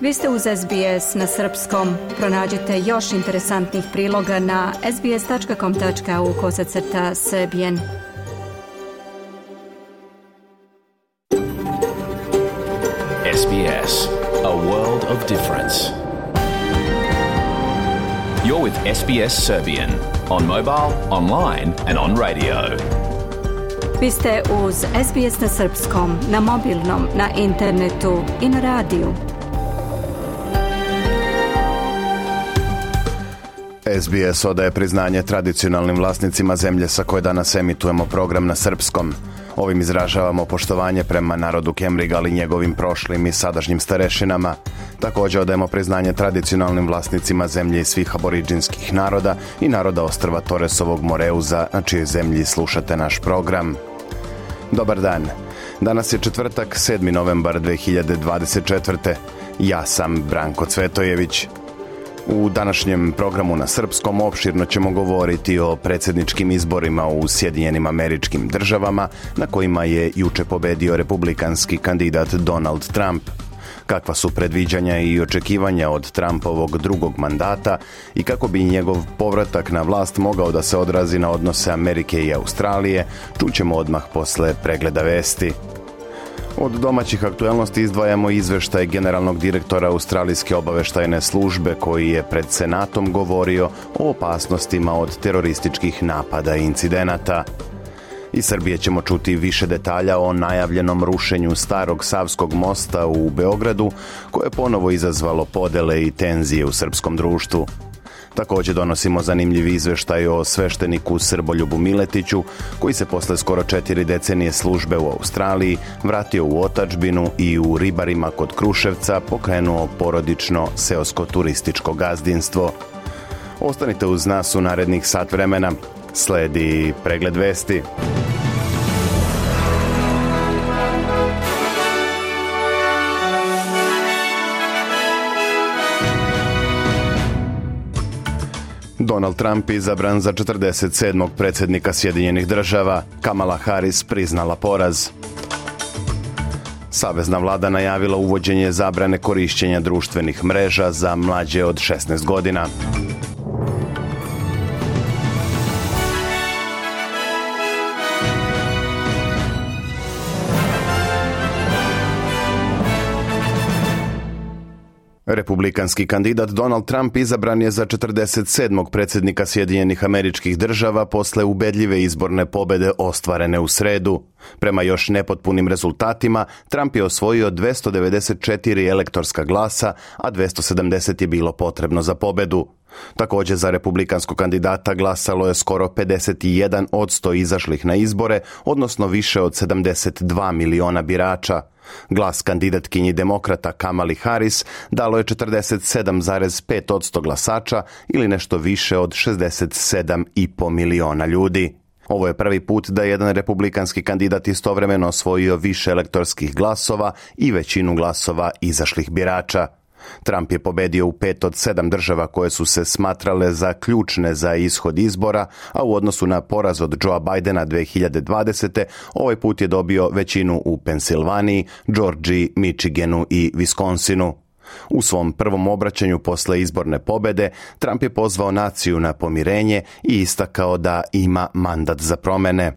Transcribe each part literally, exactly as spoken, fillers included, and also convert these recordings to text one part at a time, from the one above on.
Vi ste uz S B S na srpskom. Pronađite još interesantnih priloga na sbs.com.au kosacrta srbijen. S B S, a world of difference. You're with S B S Serbian on mobile, online and on radio. Vi ste uz S B S na srpskom, na mobilnom, na internetu i na radiju. S B S odaje priznanje tradicionalnim vlasnicima zemlje sa koje danas emitujemo program na srpskom. Ovim izražavamo poštovanje prema narodu Kemrigal i njegovim prošlim i sadašnjim starešinama. Također odajemo priznanje tradicionalnim vlasnicima zemlje i svih aboriđinskih naroda i naroda ostrva Toresovog Moreuza, na čijoj zemlji slušate naš program. Dobar dan. Danas je četvrtak, sedmi novembar dve hiljade dvadeset četvrte. Ja sam Branko Cvetojević. U današnjem programu na srpskom opširno ćemo govoriti o predsjedničkim izborima u Sjedinjenim Američkim Državama, na kojima je juče pobedio republikanski kandidat Donald Trump. Kakva su predviđanja i očekivanja od Trumpovog drugog mandata i kako bi njegov povratak na vlast mogao da se odrazi na odnose Amerike i Australije, čućemo odmah posle pregleda vesti. Od domaćih aktualnosti izdvajamo izveštaj generalnog direktora Australijske obaveštajne službe koji je pred Senatom govorio o opasnostima od terorističkih napada i incidenata. Iz Srbije ćemo čuti više detalja o najavljenom rušenju starog Savskog mosta u Beogradu, koje je ponovo izazvalo podele i tenzije u srpskom društvu. Također donosimo zanimljiv izveštaj o svešteniku Srboljubu Miletiću, koji se posle skoro četiri decenije službe u Australiji vratio u otadžbinu i u Ribarima kod Kruševca pokrenuo porodično seosko turističko gazdinstvo. Ostanite uz nas u narednih sat vremena. Sledi pregled vesti. Donald Trump izabran za četrdeset sedmog predsjednika Sjedinjenih Država. Kamala Harris priznala poraz. Savezna vlada najavila uvođenje zabrane korišćenja društvenih mreža za mlađe od šesnaest godina. Republikanski kandidat Donald Trump izabran je za četrdeset sedmog predsjednika Sjedinjenih Američkih Država posle ubedljive izborne pobjede ostvarene u sredu. Prema još nepotpunim rezultatima, Trump je osvojio dvjesto devedeset četiri elektorska glasa, a dvjesto sedamdeset je bilo potrebno za pobjedu. Također za republikanskog kandidata glasalo je skoro pedeset jedan posto izašlih na izbore, odnosno više od sedamdeset dva miliona birača. Glas kandidatkinji demokrata Kamali Harris dalo je četrdeset sedam zarez pet posto glasača ili nešto više od šezdeset sedam i po miliona ljudi. Ovo je prvi put da jedan republikanski kandidat istovremeno osvojio više elektorskih glasova i većinu glasova izašlih birača. Trump je pobedio u pet od sedam država koje su se smatrale za ključne za ishod izbora, a u odnosu na poraz od Joea Bidena dve hiljade dvadesete. ovaj put je dobio većinu u Pensilvaniji, Georgiji, Michiganu i Wisconsinu. U svom prvom obraćanju posle izborne pobjede, Trump je pozvao naciju na pomirenje i istakao da ima mandat za promjene.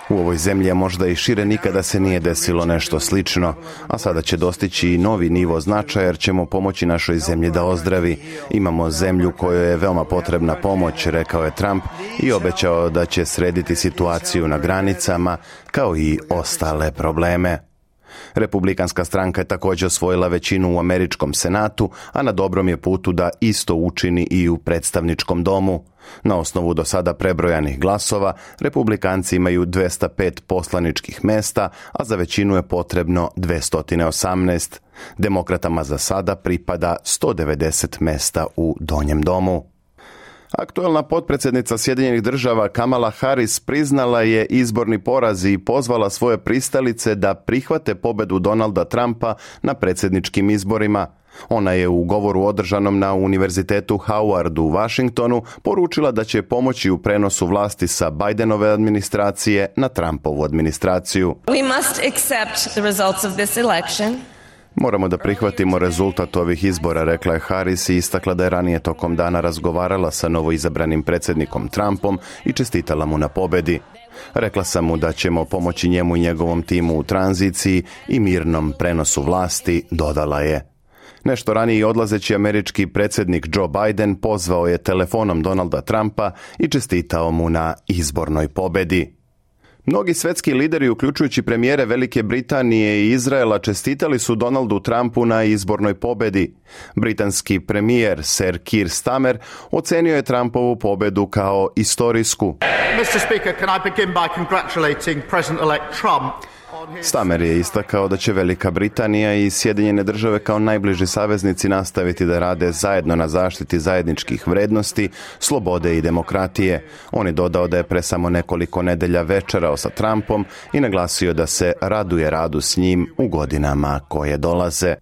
U ovoj zemlji, možda i šire, nikada se nije desilo nešto slično, a sada će dostići i novi nivo značaja jer ćemo pomoći našoj zemlji da ozdravi. Imamo zemlju kojoj je veoma potrebna pomoć, rekao je Trump i obećao da će srediti situaciju na granicama kao i ostale probleme. Republikanska stranka je također osvojila većinu u američkom senatu, a na dobrom je putu da isto učini i u predstavničkom domu. Na osnovu do sada prebrojanih glasova, republikanci imaju dvjesto pet poslaničkih mesta, a za većinu je potrebno dvjesto osamnaest. Demokratama za sada pripada sto devedeset mesta u donjem domu. Aktualna potpredsjednica Sjedinjenih država Kamala Harris priznala je izborni poraz i pozvala svoje pristalice da prihvate pobjedu Donalda Trumpa na predsjedničkim izborima. Ona je u govoru održanom na Univerzitetu Howard u Washingtonu poručila da će pomoći u prenosu vlasti sa Bidenove administracije na Trumpovu administraciju. We must accept the results of this election. Moramo da prihvatimo rezultat ovih izbora, rekla je Harris i istakla da je ranije tokom dana razgovarala sa novoizabranim predsjednikom Trumpom i čestitala mu na pobjedi. Rekla sam mu da ćemo pomoći njemu i njegovom timu u tranziciji i mirnom prenosu vlasti, dodala je. Nešto ranije odlazeći američki predsjednik Joe Biden pozvao je telefonom Donalda Trumpa i čestitao mu na izbornoj pobjedi. Mnogi svjetski lideri, uključujući premijere Velike Britanije i Izraela, čestitali su Donaldu Trumpu na izbornoj pobjedi. Britanski premijer Sir Keir Starmer ocenio je Trumpovu pobjedu kao istorijsku. mister Speaker, can I begin by congratulating President-elect Trump? Starmer je istakao da će Velika Britanija i Sjedinjene države kao najbliži saveznici nastaviti da rade zajedno na zaštiti zajedničkih vrednosti, slobode i demokratije. On je dodao da je pre samo nekoliko nedelja večerao sa Trumpom i naglasio da se raduje radu s njim u godinama koje dolaze.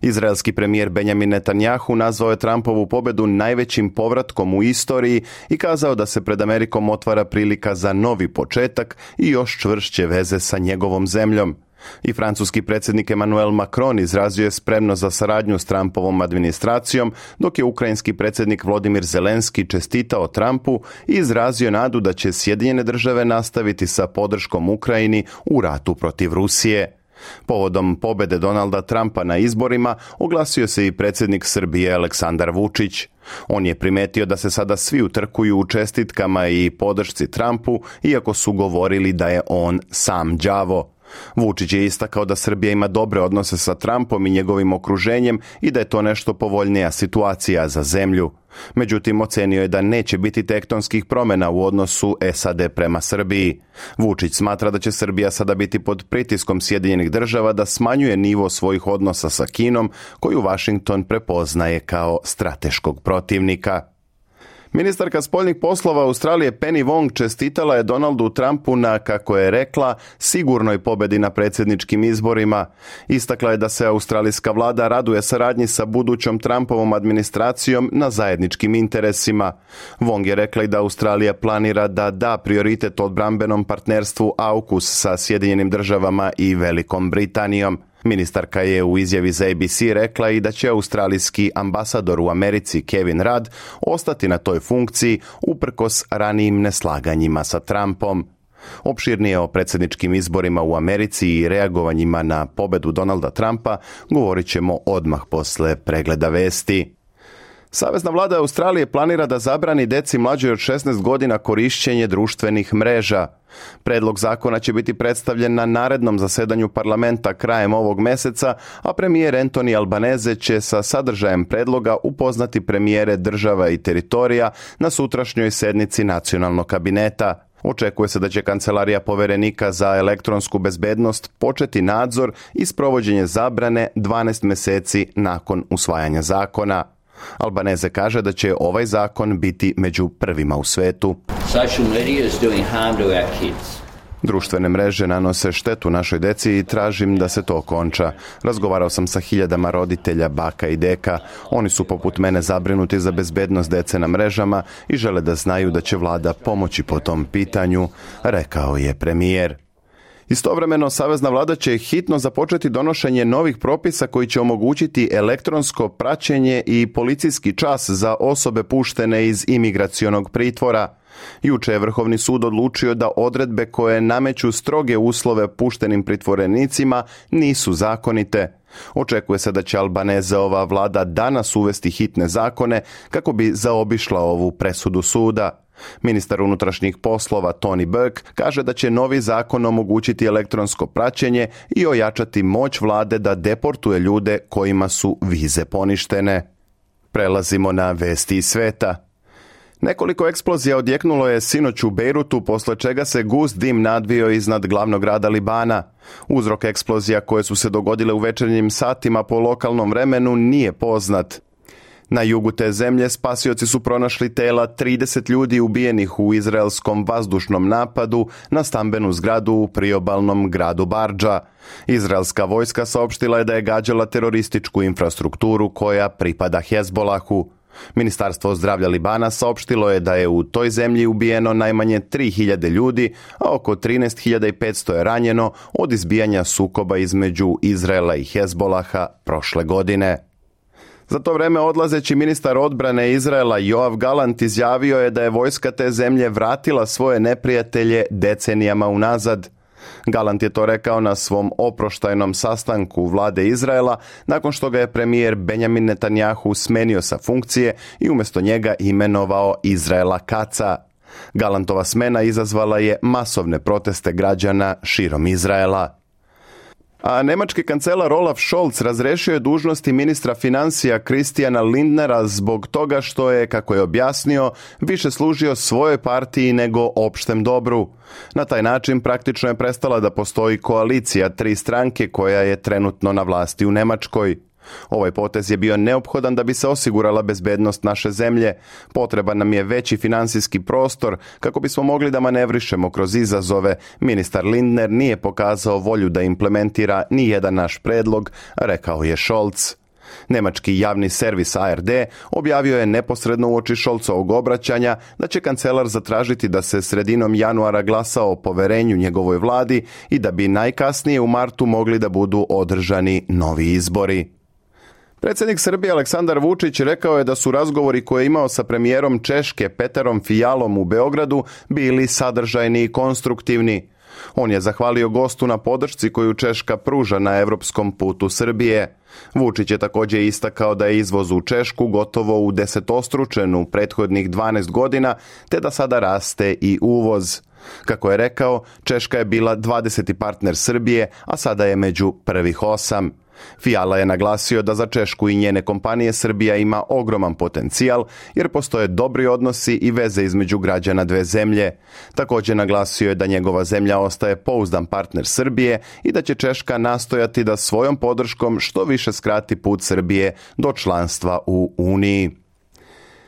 Izraelski premijer Benjamin Netanjahu nazvao je Trumpovu pobjedu najvećim povratkom u istoriji i kazao da se pred Amerikom otvara prilika za novi početak i još čvršće veze sa njegovom zemljom. I francuski predsjednik Emmanuel Macron izrazio je spremnost za saradnju s Trumpovom administracijom, dok je ukrajinski predsjednik Volodymyr Zelenski čestitao Trumpu i izrazio nadu da će Sjedinjene države nastaviti sa podrškom Ukrajini u ratu protiv Rusije. Povodom pobjede Donalda Trumpa na izborima oglasio se i predsjednik Srbije Aleksandar Vučić. On je primetio da se sada svi utrkuju u čestitkama i podršci Trumpu, iako su govorili da je on sam đavo. Vučić je istakao da Srbija ima dobre odnose sa Trumpom i njegovim okruženjem i da je to nešto povoljnija situacija za zemlju. Međutim, ocenio je da neće biti tektonskih promjena u odnosu S A D prema Srbiji. Vučić smatra da će Srbija sada biti pod pritiskom Sjedinjenih država da smanjuje nivo svojih odnosa sa Kinom, koju Washington prepoznaje kao strateškog protivnika. Ministarka spoljnih poslova Australije Penny Wong čestitala je Donaldu Trumpu na, kako je rekla, sigurnoj pobjedi na predsjedničkim izborima. Istakla je da se australijska vlada raduje saradnji sa budućom Trumpovom administracijom na zajedničkim interesima. Wong je rekla i da Australija planira da da prioritet odbrambenom partnerstvu AUKUS sa Sjedinjenim državama i Velikom Britanijom. Ministarka je u izjavi za A B C rekla i da će australijski ambasador u Americi Kevin Rudd ostati na toj funkciji uprkos ranijim neslaganjima sa Trumpom. Opširnije o predsjedničkim izborima u Americi i reagovanjima na pobjedu Donalda Trumpa govorit ćemo odmah posle pregleda vesti. Savezna vlada Australije planira da zabrani deci mlađoj od šesnaest godina korišćenje društvenih mreža. Predlog zakona će biti predstavljen na narednom zasedanju parlamenta krajem ovog meseca, a premijer Anthony Albanese će sa sadržajem predloga upoznati premijere država i teritorija na sutrašnjoj sednici nacionalnog kabineta. Očekuje se da će Kancelarija poverenika za elektronsku bezbednost početi nadzor i sprovođenje zabrane dvanaest mjeseci nakon usvajanja zakona. Albanese kaže da će ovaj zakon biti među prvima u svetu. Social media is doing harm to our kids. Društvene mreže nanose štetu našoj deci i tražim da se to okonča. Razgovarao sam sa hiljadama roditelja, baka i deka. Oni su poput mene zabrinuti za bezbednost dece na mrežama i žele da znaju da će vlada pomoći po tom pitanju, rekao je premijer. Istovremeno, savezna vlada će hitno započeti donošenje novih propisa koji će omogućiti elektronsko praćenje i policijski čas za osobe puštene iz imigracionog pritvora. Juče je Vrhovni sud odlučio da odredbe koje nameću stroge uslove puštenim pritvorenicima nisu zakonite. Očekuje se da će Albaneseova vlada danas uvesti hitne zakone kako bi zaobišla ovu presudu suda. Ministar unutrašnjih poslova Tony Burke kaže da će novi zakon omogućiti elektronsko praćenje i ojačati moć vlade da deportuje ljude kojima su vize poništene. Prelazimo na vesti iz sveta. Nekoliko eksplozija odjeknulo je sinoć u Bejrutu, posle čega se gust dim nadvio iznad glavnog grada Libana. Uzrok eksplozija koje su se dogodile u večernjim satima po lokalnom vremenu nije poznat. Na jugu te zemlje spasioci su pronašli tela trideset ljudi ubijenih u izraelskom vazdušnom napadu na stambenu zgradu u priobalnom gradu Bardža. Izraelska vojska saopštila je da je gađala terorističku infrastrukturu koja pripada Hezbolahu. Ministarstvo zdravlja Libana saopštilo je da je u toj zemlji ubijeno najmanje tri hiljade ljudi, a oko trinaest hiljada petsto je ranjeno od izbijanja sukoba između Izraela i Hezbolaha prošle godine. Za to vreme odlazeći ministar odbrane Izraela Joav Galant izjavio je da je vojska te zemlje vratila svoje neprijatelje decenijama unazad. Galant je to rekao na svom oproštajnom sastanku vlade Izraela nakon što ga je premijer Benjamin Netanjahu smenio sa funkcije i umjesto njega imenovao Izraela Kaca. Galantova smena izazvala je masovne proteste građana širom Izraela. A nemački kancelar Olaf Scholz razrešio je dužnosti ministra financija Christiana Lindnera zbog toga što je, kako je objasnio, više služio svojoj partiji nego opštem dobru. Na taj način praktično je prestala da postoji koalicija tri stranke koja je trenutno na vlasti u Nemačkoj. Ovaj potez je bio neophodan da bi se osigurala bezbednost naše zemlje. Potreban nam je veći finansijski prostor kako bismo mogli da manevrišemo kroz izazove. Ministar Lindner nije pokazao volju da implementira ni jedan naš predlog, rekao je Scholz. Nemački javni servis A R D objavio je neposredno uoči Scholzovog obraćanja da će kancelar zatražiti da se sredinom januara glasa o poverenju njegovoj vladi i da bi najkasnije u martu mogli da budu održani novi izbori. Predsjednik Srbije Aleksandar Vučić rekao je da su razgovori koje je imao sa premijerom Češke Peterom Fialom u Beogradu bili sadržajni i konstruktivni. On je zahvalio gostu na podršci koju Češka pruža na evropskom putu Srbije. Vučić je također istakao da je izvoz u Češku gotovo udesetostručen u prethodnih dvanaest godina, te da sada raste i uvoz. Kako je rekao, Češka je bila dvadeseti partner Srbije, a sada je među prvih osam. Fiala je naglasio da za Češku i njene kompanije Srbija ima ogroman potencijal jer postoje dobri odnosi i veze između građana dve zemlje. Također naglasio je da njegova zemlja ostaje pouzdan partner Srbije i da će Češka nastojati da svojom podrškom što više skrati put Srbije do članstva u Uniji.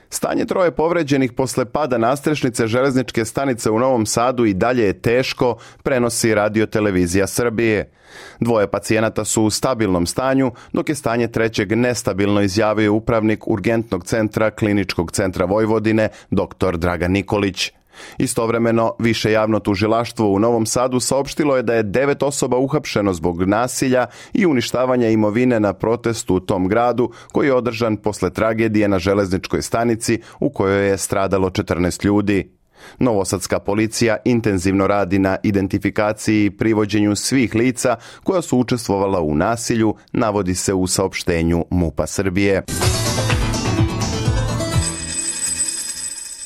Stanje troje povređenih posle pada nastrešnice železničke stanice u Novom Sadu i dalje je teško, prenosi Radio-televizija Srbije. Dvoje pacijenata su u stabilnom stanju, dok je stanje trećeg nestabilno, izjavio upravnik urgentnog centra Kliničkog centra Vojvodine, doktor Dragan Nikolić. Istovremeno, više javno tužilaštvo u Novom Sadu saopštilo je da je devet osoba uhapšeno zbog nasilja i uništavanja imovine na protestu u tom gradu koji je održan posle tragedije na železničkoj stanici u kojoj je stradalo četrnaest ljudi. Novosadska policija intenzivno radi na identifikaciji i privođenju svih lica koja su učestvovala u nasilju, navodi se u saopštenju MUP-a Srbije.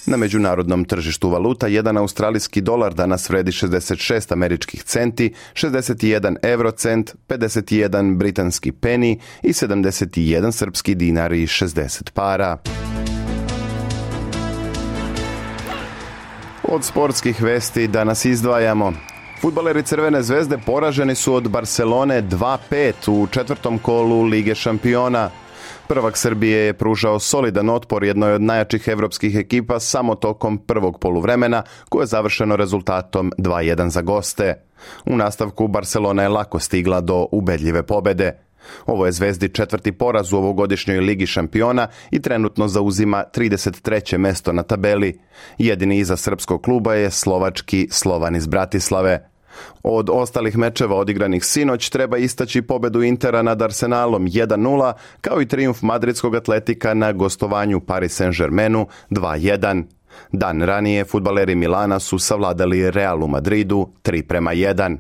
Na međunarodnom tržištu valuta jedan australijski dolar danas vredi šezdeset šest američkih centi, šezdeset jedan eurocent, pedeset jedan britanski peni i sedamdeset jedan srpski dinar i šezdeset para. Od sportskih vesti danas izdvajamo. Fudbaleri Crvene zvezde poraženi su od Barcelone dva pet u četvrtom kolu Lige šampiona. Prvak Srbije je pružao solidan otpor jednoj od najjačih evropskih ekipa samo tokom prvog poluvremena, koje je završeno rezultatom dva jedan za goste. U nastavku Barcelona je lako stigla do ubedljive pobede. Ovo je Zvezdi četvrti poraz u ovogodišnjoj Ligi šampiona i trenutno zauzima trideset treće mesto na tabeli. Jedini iza srpskog kluba je slovački Slovan iz Bratislave. Od ostalih mečeva odigranih sinoć treba istaći pobedu Intera nad Arsenalom jedan nula, kao i trijumf madridskog Atletika na gostovanju Paris Saint-Germainu dva jedan. Dan ranije fudbaleri Milana su savladali Real u Madridu tri prema jedan.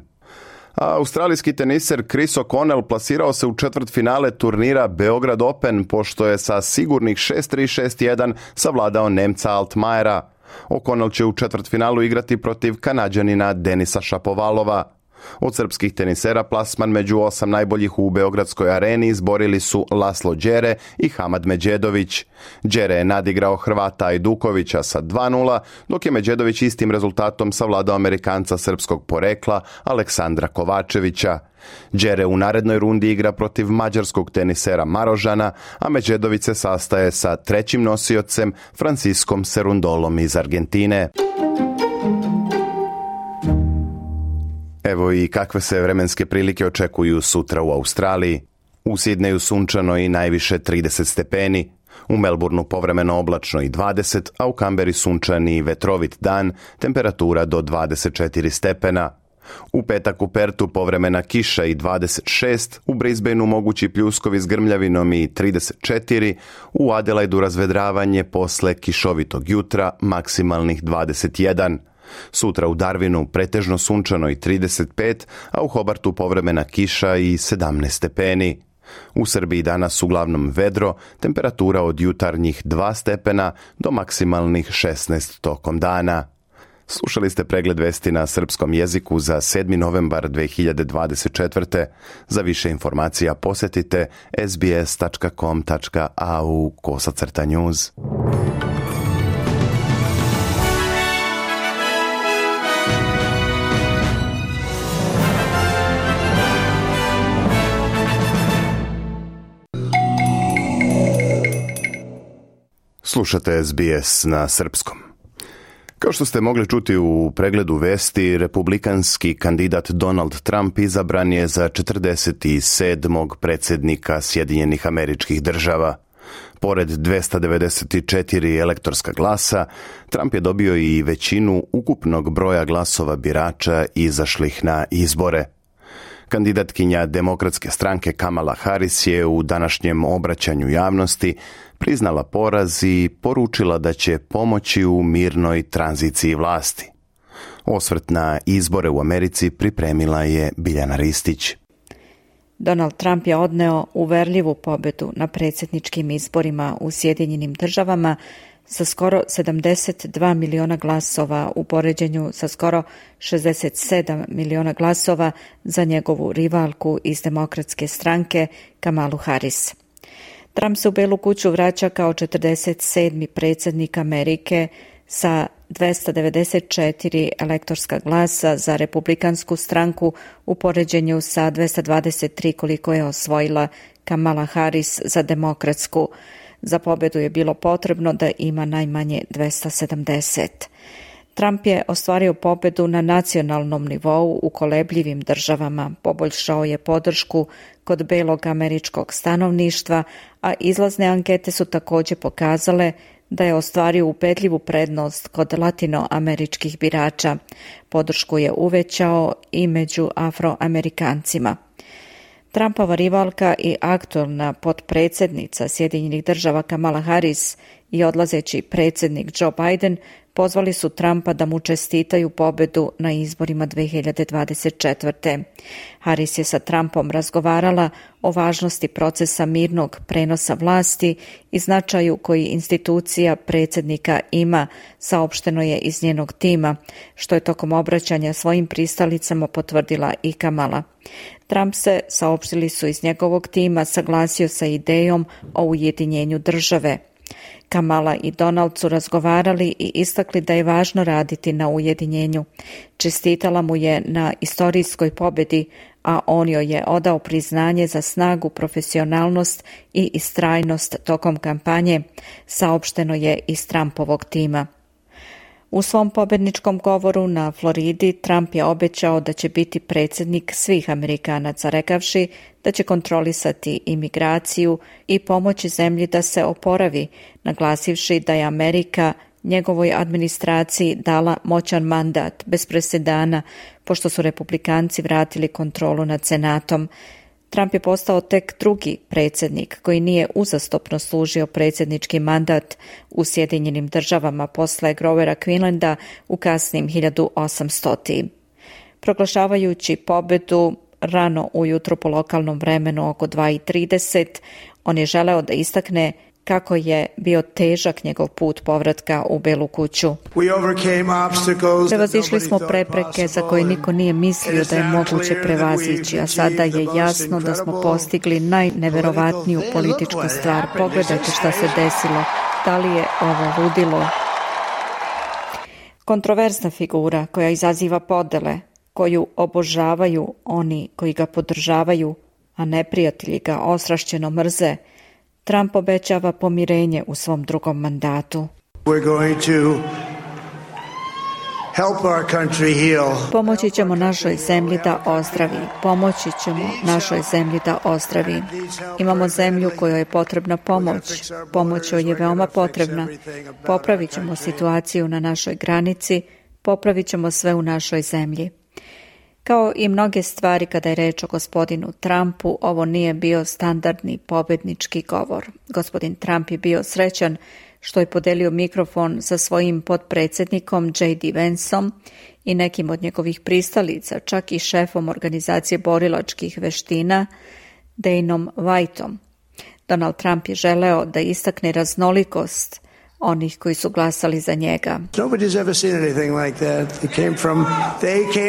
A australijski teniser Chris O'Connell plasirao se u četvrtfinale turnira Beograd Open pošto je sa sigurnih šest tri šest jedan savladao Nemca Altmajera. O'Connell će u četvrtfinalu igrati protiv Kanađanina Denisa Šapovalova. Od srpskih tenisera plasman među osam najboljih u Beogradskoj areni izborili su Laslo Đere i Hamad Međedović. Đere je nadigrao Hrvata Ajdukovića sa dva nula, dok je Međedović istim rezultatom savladao Amerikanca srpskog porekla Aleksandra Kovačevića. Đere u narednoj rundi igra protiv mađarskog tenisera Marožana, a Međedović se sastaje sa trećim nosiocem Franciskom Serundolom iz Argentine. Evo i kakve se vremenske prilike očekuju sutra u Australiji. U Sidneju sunčano i najviše trideset stepeni, u Melbourneu povremeno oblačno i dvadeset, a u Kamberi sunčani i vetrovit dan, temperatura do dvadeset četiri stepena. U petak u Pertu povremena kiša i dvadeset šest, u Brisbaneu mogući pljuskovi s grmljavinom i trideset četiri, u Adelaidu razvedravanje posle kišovitog jutra, maksimalnih dvadeset jedan. Sutra u Darwinu pretežno sunčano i trideset pet, a u Hobartu povremena kiša i sedamnaest stepeni. U Srbiji danas uglavnom vedro, temperatura od jutarnjih dva stepena do maksimalnih šesnaest tokom dana. Slušali ste pregled vesti na srpskom jeziku za sedmi novembar dve hiljade dvadeset četvrte. Za više informacija posjetite es bi es tačka com tačka a u kosacrta news. Slušate es bi es na srpskom. Kao što ste mogli čuti u pregledu vesti, republikanski kandidat Donald Trump izabran je za četrdeset sedmog predsjednika Sjedinjenih Američkih Država. Pored dvesta devedeset četiri elektorska glasa, Trump je dobio i većinu ukupnog broja glasova birača izašlih na izbore. Kandidatkinja Demokratske stranke Kamala Harris je u današnjem obraćanju javnosti priznala poraz i poručila da će pomoći u mirnoj tranziciji vlasti. Osvrt na izbore u Americi pripremila je Biljana Ristić. Donald Trump je odneo uverljivu pobedu na predsjedničkim izborima u Sjedinjenim Državama sa skoro sedamdeset dva miliona glasova u poređenju sa skoro šezdeset sedam miliona glasova za njegovu rivalku iz Demokratske stranke Kamalu Harris. Trump se u Belu kuću vraća kao četrdeset sedmi predsjednik Amerike sa dvesta devedeset četiri elektorska glasa za republikansku stranku u poređenju sa dvesta dvadeset tri koliko je osvojila Kamala Harris za demokratsku. Za pobedu je bilo potrebno da ima najmanje dvesta sedamdeset. Trump je ostvario pobedu na nacionalnom nivou u kolebljivim državama, poboljšao je podršku kod belog američkog stanovništva, a izlazne ankete su također pokazale da je ostvario ubedljivu prednost kod latinoameričkih birača. Podršku je uvećao i među Afroamerikancima. Trumpova rivalka i aktualna potpredsjednica Sjedinjenih Država Kamala Harris i odlazeći predsjednik Joe Biden pozvali su Trumpa da mu čestitaju pobedu na izborima dve hiljade dvadeset četvrte. Harris je sa Trumpom razgovarala o važnosti procesa mirnog prenosa vlasti i značaju koji institucija predsjednika ima, saopšteno je iz njenog tima, što je tokom obraćanja svojim pristalicama potvrdila i Kamala. Trump se, saopštili su iz njegovog tima, saglasio sa idejom o ujedinjenju države. Kamala i Donald su razgovarali i istakli da je važno raditi na ujedinjenju. Čestitala mu je na istorijskoj pobedi, a on joj je odao priznanje za snagu, profesionalnost i istrajnost tokom kampanje, saopšteno je iz Trumpovog tima. U svom pobedničkom govoru na Floridi Trump je obećao da će biti predsjednik svih Amerikanaca, rekavši da će kontrolisati imigraciju i pomoći zemlji da se oporavi, naglasivši da je Amerika njegovoj administraciji dala moćan mandat bez presedana, pošto su republikanci vratili kontrolu nad Senatom. Trump je postao tek drugi predsjednik koji nije uzastopno služio predsjednički mandat u Sjedinjenim Državama posle Grovera Quinlanda u kasnim hiljadu osamstotim. Proglašavajući pobedu rano ujutro po lokalnom vremenu oko dva i trideset, on je želeo da istakne kako je bio težak njegov put povratka u Belu kuću. Prevazišli smo prepreke za koje niko nije mislio da je moguće prevazići, a sada je jasno da smo postigli najneverovatniju političku stvar. Pogledajte šta se desilo. Da li je ovo ludilo? Kontroverzna figura koja izaziva podele, koju obožavaju oni koji ga podržavaju, a neprijatelji ga ostrašćeno mrze, Trump obećava pomirenje u svom drugom mandatu. Pomoći ćemo našoj zemlji da ozdravi. Pomoći ćemo našoj zemlji da ozdravi. Imamo zemlju kojoj je potrebna pomoć. Pomoć joj je veoma potrebna. Popravit ćemo situaciju na našoj granici, popravit ćemo sve u našoj zemlji. Kao i mnoge stvari kada je reč o gospodinu Trumpu, ovo nije bio standardni pobednički govor. Gospodin Trump je bio srećan što je podelio mikrofon sa svojim potpredsjednikom J D Vanceom i nekim od njegovih pristalica, čak i šefom organizacije borilačkih veština Daneom Whiteom. Donald Trump je želeo da istakne raznolikost onih koji su glasali za njega.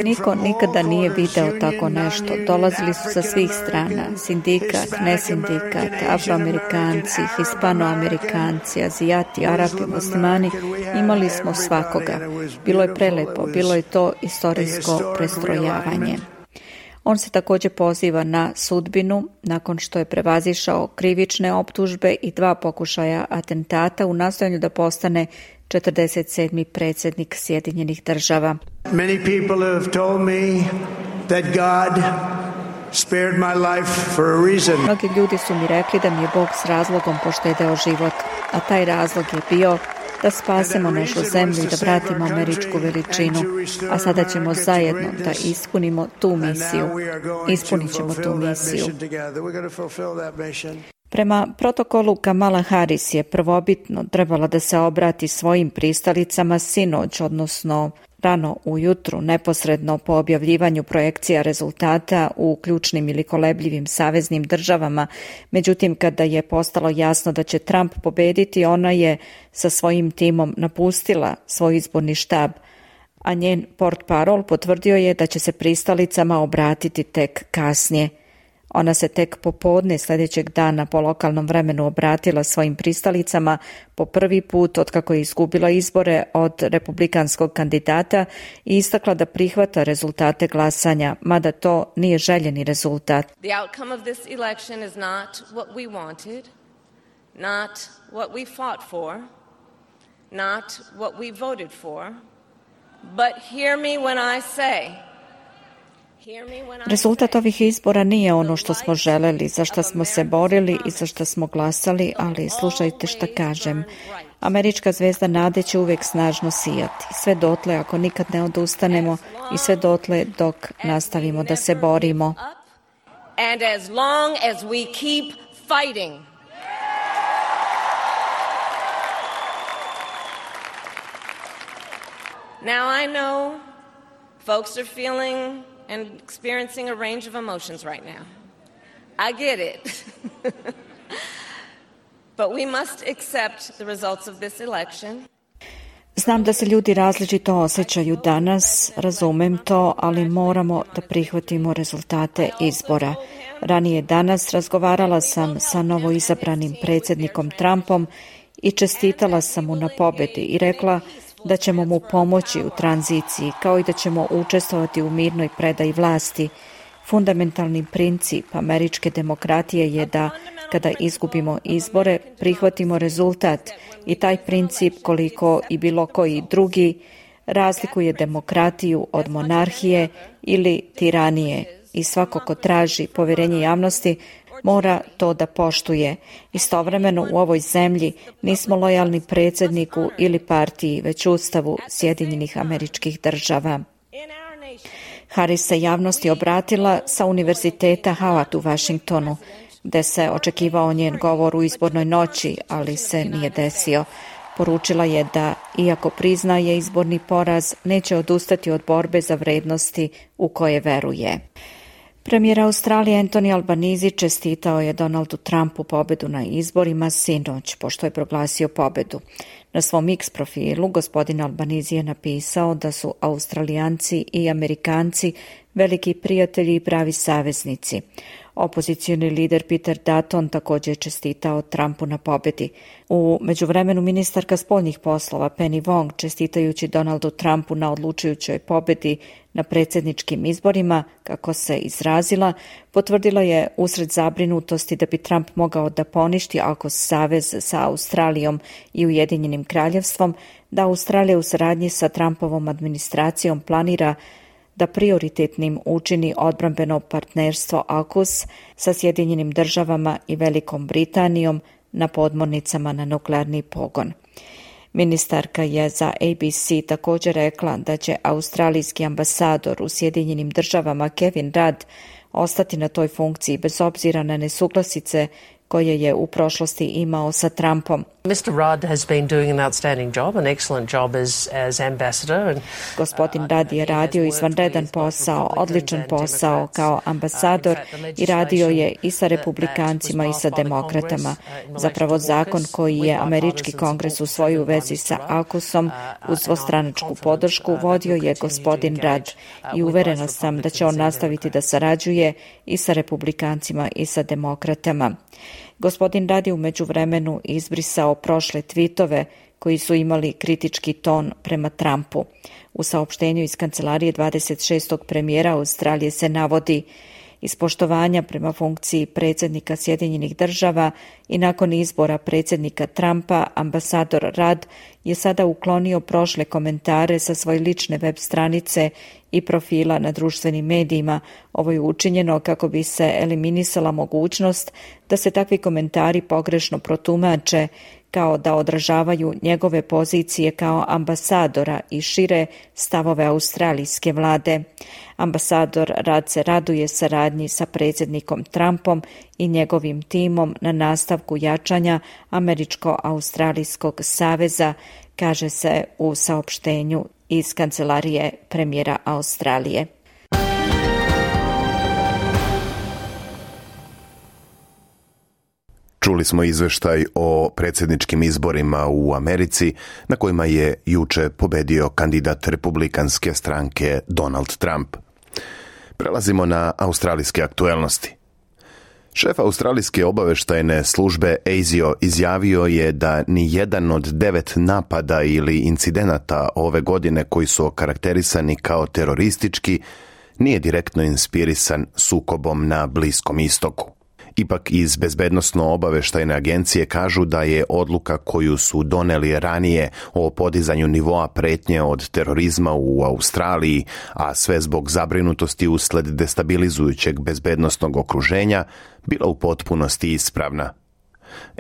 Niko nikada nije video tako nešto. Dolazili su sa svih strana. Sindikat, nesindikat, Afroamerikanci, Hispanoamerikanci, Azijati, Arapi, Muslimani. Imali smo svakoga. Bilo je prelepo, bilo je to istorijsko prestrojavanje. On se također poziva na sudbinu nakon što je prevazišao krivične optužbe i dva pokušaja atentata u nastojanju da postane četrdeset sedmi predsjednik Sjedinjenih država. Many people have told me that God spared my life for a reason. Mnogi ljudi su mi rekli da mi je Bog s razlogom poštedeo život, a taj razlog je bio da spasemo našu zemlju i da vratimo američku veličinu, a sada ćemo zajedno da ispunimo tu misiju. Ispunit ćemo tu misiju. Prema protokolu Kamala Harris je prvobitno trebala da se obrati svojim pristalicama sinoć, odnosno rano ujutru, neposredno po objavljivanju projekcija rezultata u ključnim ili kolebljivim saveznim državama. Međutim, kada je postalo jasno da će Trump pobediti, ona je sa svojim timom napustila svoj izborni štab, a njen portparol potvrdio je da će se pristalicama obratiti tek kasnije. Ona se tek popodne sljedećeg dana po lokalnom vremenu obratila svojim pristalicama po prvi put otkako je izgubila izbore od republikanskog kandidata i istakla da prihvata rezultate glasanja, mada to nije željeni rezultat. The outcome of this election is not what we wanted, not what we fought for, not what we voted for, but hear me when I say Rezultat ovih izbora nije ono što smo želeli, za što smo se borili i za što smo glasali, ali slušajte šta kažem. Američka zvezda nade će uvijek snažno sijati, sve dotle ako nikad ne odustanemo i sve dotle dok nastavimo da se borimo. And as long as we keep fighting. Now I know folks are feeling and experiencing a range of emotions right now. I get it. But we must accept the results of this election. Znam da se ljudi različito osjećaju danas, razumem to, ali moramo da prihvatimo rezultate izbora. Ranije danas razgovarala sam sa novoizabranim predsjednikom Trumpom i čestitala sam mu na pobedi i rekla da ćemo mu pomoći u tranziciji, kao i da ćemo učestvovati u mirnoj predaji vlasti. Fundamentalni princip američke demokratije je da, kada izgubimo izbore, prihvatimo rezultat i taj princip, koliko i bilo koji drugi, razlikuje demokratiju od monarhije ili tiranije i svako ko traži povjerenje javnosti mora to da poštuje. Istovremeno u ovoj zemlji nismo lojalni predsjedniku ili partiji, već Ustavu Sjedinjenih Američkih Država. Harris se javnosti obratila sa Univerziteta Howard u Washingtonu, gde se očekivao njen govor u izbornoj noći, ali se nije desio. Poručila je da, iako priznaje izborni poraz, neće odustati od borbe za vrednosti u koje veruje. Premijer Australije Anthony Albanese čestitao je Donaldu Trumpu pobedu na izborima sinoć, pošto je proglasio pobedu. Na svom X profilu gospodin Albanese je napisao da su Australijanci i Amerikanci veliki prijatelji i pravi saveznici. Opozicioni lider Peter Dutton također je čestitao Trumpu na pobedi. U međuvremenu ministarka spoljnih poslova Penny Wong, čestitajući Donaldu Trumpu na odlučujućoj pobedi na predsjedničkim izborima, kako se izrazila, potvrdila je usred zabrinutosti da bi Trump mogao da poništi ako savez sa Australijom i Ujedinjenim kraljevstvom, da Australija u saradnji sa Trumpovom administracijom planira da prioritetnim učini odbrambeno partnerstvo AUKUS sa Sjedinjenim državama i Velikom Britanijom na podmornicama na nuklearni pogon. Ministarka je za A B C također rekla da će australijski ambasador u Sjedinjenim državama Kevin Rudd ostati na toj funkciji bez obzira na nesuglasice koje je u prošlosti imao sa Trumpom. mister Rudd has been doing an outstanding job, an excellent job as, as ambassador. And, Gospodin Rudd je radio izvanredan posao, odličan posao kao ambasador i radio je i sa republikancima i sa demokratama. Zapravo zakon koji je američki kongres usvojio u vezi sa AUKUSom uz dvostranačku podršku vodio je gospodin Rudd i uverena sam da će on nastaviti da sarađuje i sa republikancima i sa demokratama. Gospodin Rudd je u međuvremenu izbrisao prošle tvitove koji su imali kritički ton prema Trumpu. U saopštenju iz kancelarije dvadeset šestog premijera Australije se navodi: iz poštovanja prema funkciji predsjednika Sjedinjenih država i nakon izbora predsjednika Trumpa, ambasador Rudd je sada uklonio prošle komentare sa svoje lične web stranice i profila na društvenim medijima. Ovo je učinjeno kako bi se eliminisala mogućnost da se takvi komentari pogrešno protumače kao da odražavaju njegove pozicije kao ambasadora i šire stavove australijske vlade. Ambasador Rudd se raduje saradnji sa predsjednikom Trumpom i njegovim timom na nastavku jačanja Američko-Australijskog saveza, kaže se u saopštenju iz kancelarije premijera Australije. Čuli smo izveštaj o predsjedničkim izborima u Americi na kojima je juče pobedio kandidat republikanske stranke Donald Trump. Prelazimo na australijske aktuelnosti. Šef australijske obavještajne službe A S I O izjavio je da ni jedan od devet napada ili incidenata ove godine koji su okarakterisani kao teroristički nije direktno inspirisan sukobom na Bliskom istoku. Ipak iz bezbednosno-obavještajne agencije kažu da je odluka koju su doneli ranije o podizanju nivoa pretnje od terorizma u Australiji, a sve zbog zabrinutosti usled destabilizujućeg bezbednosnog okruženja, bila u potpunosti ispravna.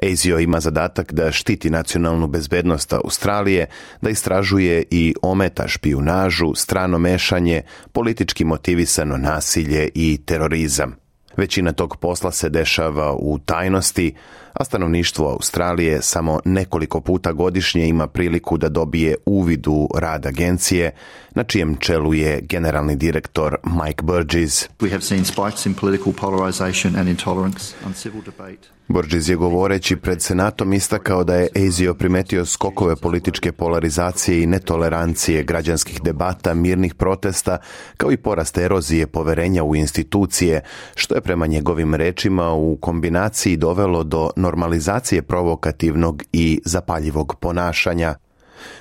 A S I O ima zadatak da štiti nacionalnu bezbednost Australije, da istražuje i ometa špijunažu, strano mešanje, politički motivisano nasilje i terorizam. Većina tog posla se dešava u tajnosti, a stanovništvo Australije samo nekoliko puta godišnje ima priliku da dobije uvid u rad agencije, na čijem čelu je generalni direktor Mike Burgess. We have seen spikes in political polarization and intolerance, uncivil debate. Burgess je govoreći pred Senatom istakao da je A S I O primetio skokove političke polarizacije i netolerancije, građanskih debata, mirnih protesta, kao i porast erozije poverenja u institucije, što je prema njegovim rečima u kombinaciji dovelo do normalizacije provokativnog i zapaljivog ponašanja.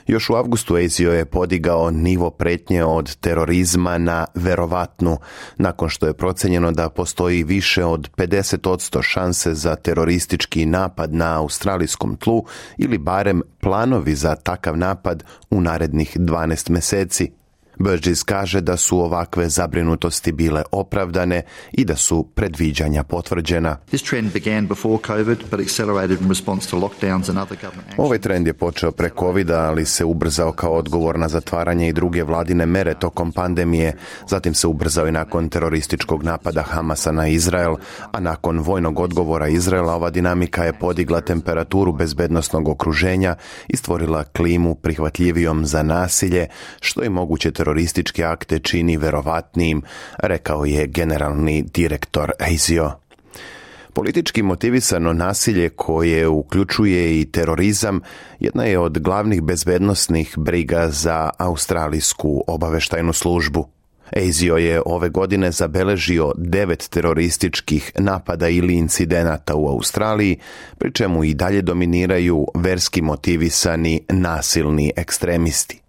Još u avgustu A S I O je podigao nivo pretnje od terorizma na verovatnu, nakon što je procenjeno da postoji više od pedeset posto šanse za teroristički napad na australijskom tlu ili barem planovi za takav napad u narednih dvanaest mjeseci. Burgess kaže da su ovakve zabrinutosti bile opravdane i da su predviđanja potvrđena. Ovaj trend je počeo pre covida, ali se ubrzao kao odgovor na zatvaranje i druge vladine mere tokom pandemije. Zatim se ubrzao i nakon terorističkog napada Hamasa na Izrael, a nakon vojnog odgovora Izraela ova dinamika je podigla temperaturu bezbednosnog okruženja i stvorila klimu prihvatljivijom za nasilje, što je moguće teroristički terorističke akte čini verovatnijim, rekao je generalni direktor A S I O. Politički motivisano nasilje koje uključuje i terorizam jedna je od glavnih bezbednosnih briga za australijsku obaveštajnu službu. A S I O je ove godine zabeležio devet terorističkih napada ili incidenata u Australiji, pri čemu i dalje dominiraju verski motivisani nasilni ekstremisti.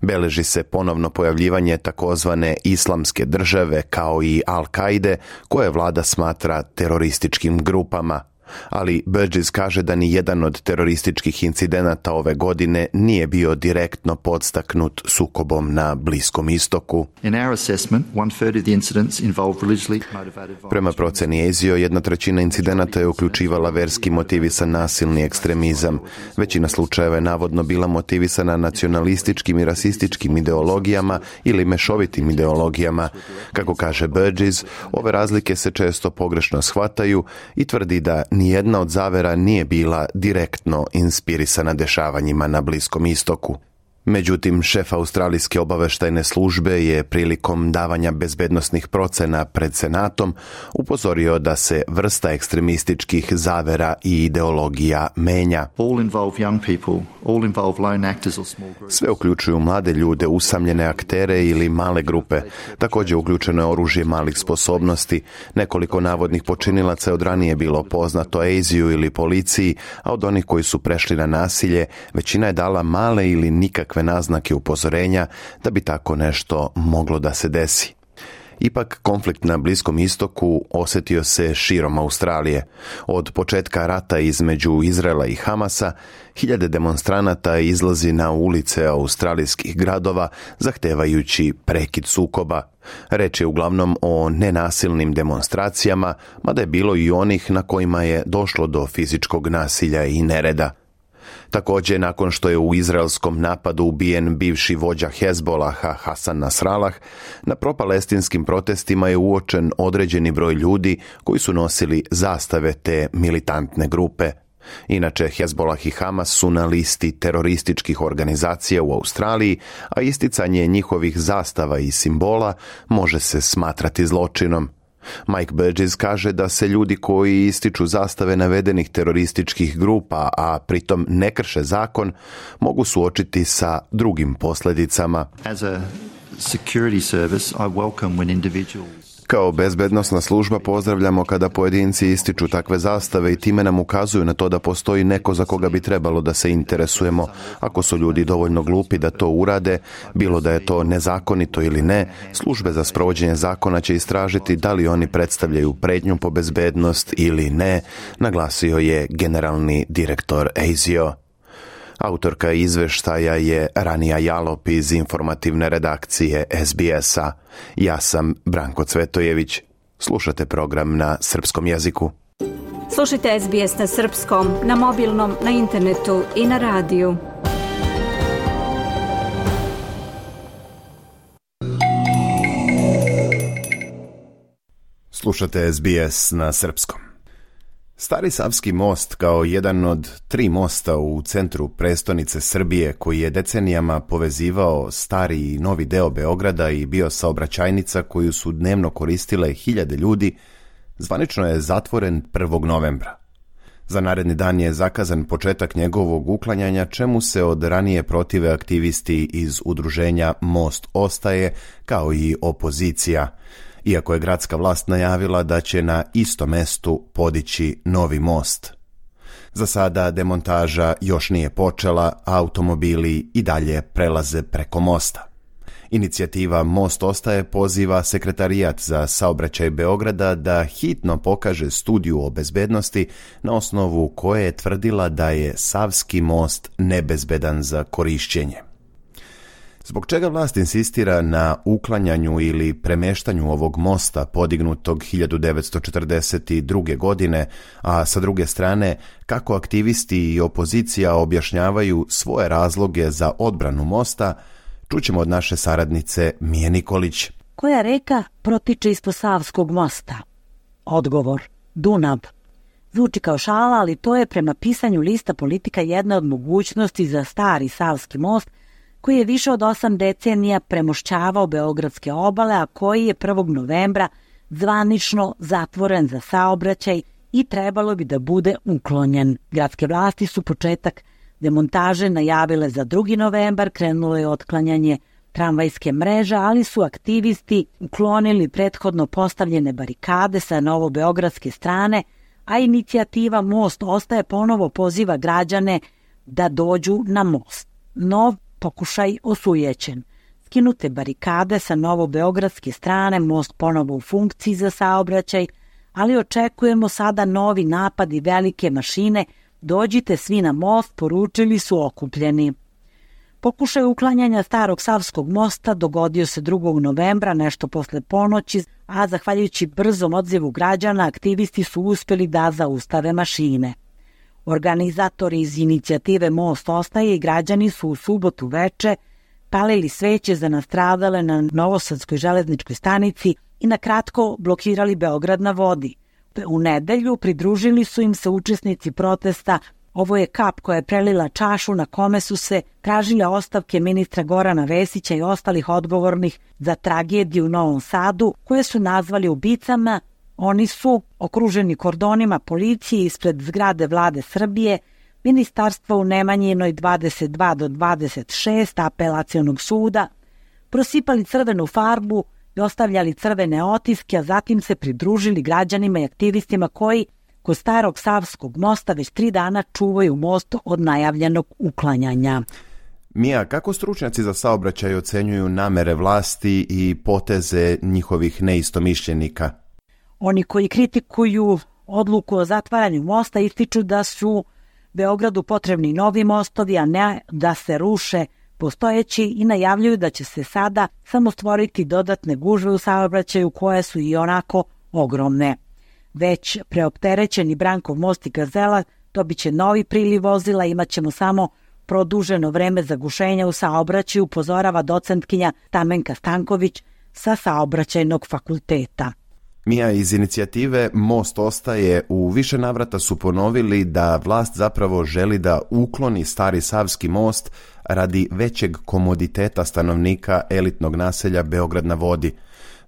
Beleži se ponovno pojavljivanje takozvane islamske države kao i Al-Kaide, koje vlada smatra terorističkim grupama. Ali Burgess kaže da ni jedan od terorističkih incidenata ove godine nije bio direktno podstaknut sukobom na Bliskom istoku. Prema proceni A S I O, jedna trećina incidenata je uključivala verski motivisan nasilni ekstremizam. Većina slučajeva je navodno bila motivisana nacionalističkim i rasističkim ideologijama ili mešovitim ideologijama. Kako kaže Burgess, ove razlike se često pogrešno shvataju i tvrdi da nijedna od zavera nije bila direktno inspirisana dešavanjima na Bliskom istoku. Međutim, šef australijske obaveštajne službe je prilikom davanja bezbednosnih procena pred Senatom upozorio da se vrsta ekstremističkih zavera i ideologija menja. Sve uključuju mlade ljude, usamljene aktere ili male grupe. Također uključeno je oružje malih sposobnosti. Nekoliko navodnih počinilaca je od ranije bilo poznato A S I O ili policiji, a od onih koji su prešli na nasilje, većina je dala male ili nikakve naznake upozorenja da bi tako nešto moglo da se desi. Ipak, konflikt na Bliskom istoku osjetio se širom Australije. Od početka rata između Izraela i Hamasa, hiljade demonstranata izlazi na ulice australijskih gradova zahtevajući prekid sukoba. Reč je uglavnom o nenasilnim demonstracijama, mada je bilo i onih na kojima je došlo do fizičkog nasilja i nereda. Također, nakon što je u izraelskom napadu ubijen bivši vođa Hezbolaha Hasan Nasrallah, na propalestinskim protestima je uočen određeni broj ljudi koji su nosili zastave te militantne grupe. Inače, Hezbolah i Hamas su na listi terorističkih organizacija u Australiji, a isticanje njihovih zastava i simbola može se smatrati zločinom. Mike Burgess kaže da se ljudi koji ističu zastave navedenih terorističkih grupa, a pritom ne krše zakon, mogu suočiti sa drugim posljedicama. As a security service, I welcome when individuals Kao bezbednosna služba pozdravljamo kada pojedinci ističu takve zastave i time nam ukazuju na to da postoji neko za koga bi trebalo da se interesujemo. Ako su ljudi dovoljno glupi da to urade, bilo da je to nezakonito ili ne, službe za sprovođenje zakona će istražiti da li oni predstavljaju pretnju po bezbednost ili ne, naglasio je generalni direktor A S I O. Autorka izveštaja je Ranija Jalop iz informativne redakcije S B S-a. Ja sam Branko Cvetojević. Slušate program na srpskom jeziku. Slušajte S B S na srpskom, na mobilnom, na internetu i na radiju. Slušate S B S na srpskom. Stari Savski most kao jedan od tri mosta u centru prestonice Srbije koji je decenijama povezivao stari i novi deo Beograda i bio saobraćajnica koju su dnevno koristile hiljade ljudi, zvanično je zatvoren prvog novembra. Za naredni dan je zakazan početak njegovog uklanjanja, čemu se od ranije protive aktivisti iz udruženja Most ostaje, kao i opozicija, iako je gradska vlast najavila da će na istom mestu podići novi most. Za sada demontaža još nije počela, a automobili i dalje prelaze preko mosta. Inicijativa Most ostaje poziva Sekretarijat za saobraćaj Beograda da hitno pokaže studiju o bezbednosti na osnovu koje je tvrdila da je Savski most nebezbedan za korišćenje. Zbog čega vlast insistira na uklanjanju ili premeštanju ovog mosta podignutog hiljadu devetsto četrdeset druge. godine, a sa druge strane kako aktivisti i opozicija objašnjavaju svoje razloge za odbranu mosta, čućemo od naše saradnice Mije Nikolić. Koja reka protiče ispod Savskog mosta? Odgovor: Dunav. Zvuči kao šala, ali to je prema pisanju lista Politika jedna od mogućnosti za stari Savski most koji je više od osam decenija premošćavao beogradske obale, a koji je prvog novembra zvanično zatvoren za saobraćaj i trebalo bi da bude uklonjen. Gradske vlasti su početak demontaže najavile za drugi novembar, krenulo je otklanjanje tramvajske mreže, ali su aktivisti uklonili prethodno postavljene barikade sa novobeogradske strane, a inicijativa Most ostaje ponovo poziva građane da dođu na most. Nov pokušaj osujećen. Skinute barikade sa novobeogradske strane, most ponovo u funkciji za saobraćaj, ali očekujemo sada novi napad i velike mašine. Dođite svi na most, poručili su okupljeni. Pokušaj uklanjanja starog Savskog mosta dogodio se drugog novembra, nešto posle ponoći, a zahvaljujući brzom odzivu građana, aktivisti su uspjeli da zaustave mašine. Organizatori iz inicijative Most ostaje i građani su u subotu veče palili sveće za nastradale na Novosadskoj železničkoj stanici i na kratko blokirali Beograd na vodi. U nedelju pridružili su im se učesnici protesta. Ovo je kap koja je prelila čašu na kome su se tražile ostavke ministra Gorana Vesića i ostalih odgovornih za tragediju u Novom Sadu, koje su nazvali ubicama. Oni su okruženi kordonima policije ispred zgrade Vlade Srbije, ministarstva u Nemanjinoj dvadeset dva do dvadeset šest apelacionog suda, prosipali crvenu farbu i ostavljali crvene otiske, a zatim se pridružili građanima i aktivistima koji kod starog Savskog mosta već tri dana čuvaju most od najavljenog uklanjanja. Mija, kako stručnjaci za saobraćaj ocenjuju namere vlasti i poteze njihovih neistomišljenika? Oni koji kritikuju odluku o zatvaranju mosta ističu da su Beogradu potrebni novi mostovi, a ne da se ruše postojeći, i najavljuju da će se sada samo stvoriti dodatne gužve u saobraćaju koje su i onako ogromne. Već preopterećeni Brankov most i Gazela dobit će novi priliv vozila, imat ćemo samo produženo vreme zagušenja u saobraćaju, upozorava docentkinja Tamenka Stanković sa Saobraćajnog fakulteta. Mija, iz inicijative Most ostaje u više navrata su ponovili da vlast zapravo želi da ukloni stari Savski most radi većeg komoditeta stanovnika elitnog naselja Beograd na vodi.